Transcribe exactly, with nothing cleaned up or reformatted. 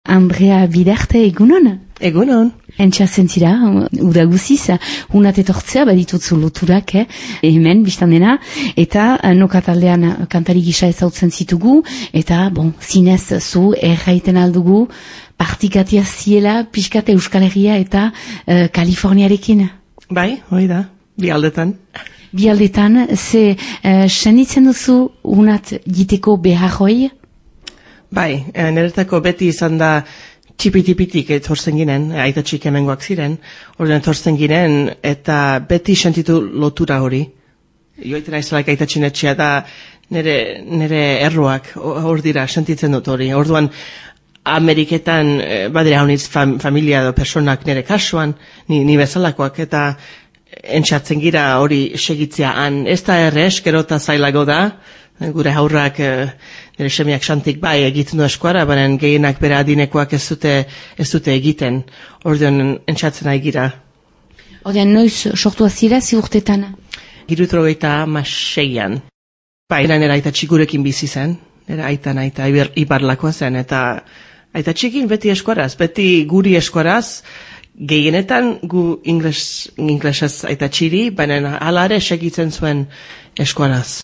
Andrea Bidarte, egunon? Egunon. Entxa zentzira, uda guziz, unat etortzea, baditutzu loturak, eh? hemen, biztan dena, eta noka taldean kantari gisa ezautzen zitugu, eta, bon, zinez zu erraiten aldugu, partikatia ziela, pixkate Euskal Herria eta uh, Kaliforniarekin. Bai, hoi da, bi aldetan. Bi aldetan, ze uh, senditzen duzu unat giteko behar hoi? Bai, niretako beti izan da txipitipitik etortzen ginen, aita txik hemengoak ziren, horren etortzen ginen, eta beti sentitu lotura hori. Joiten aizalaik aita txinetxea da nire, nire erroak hor dira sentitzen dut hori. Orduan, Ameriketan badira honitz fam, familia edo personak nire kasuan, ni, ni bezalakoak, eta entxatzen gira hori segitzea han. Ez da errez, gero eta zailago da, gure haurrak nire semiak xantik bai egiten du eskuara, baina gehienak bere adinekoak ez dute, ez dute egiten. Orduan entxatzen nahi gira. Orduan noiz sortu azira ziurtetan? Girutrogeita maseian. Bai, nire aita txigurekin bizi zen, nire aitan aita ibarlakoa zen, eta aita txikin beti eskuaraz, beti guri eskuaraz, gehienetan gu ingles, inglesez aita txiri, baina alare segitzen zuen eskuaraz.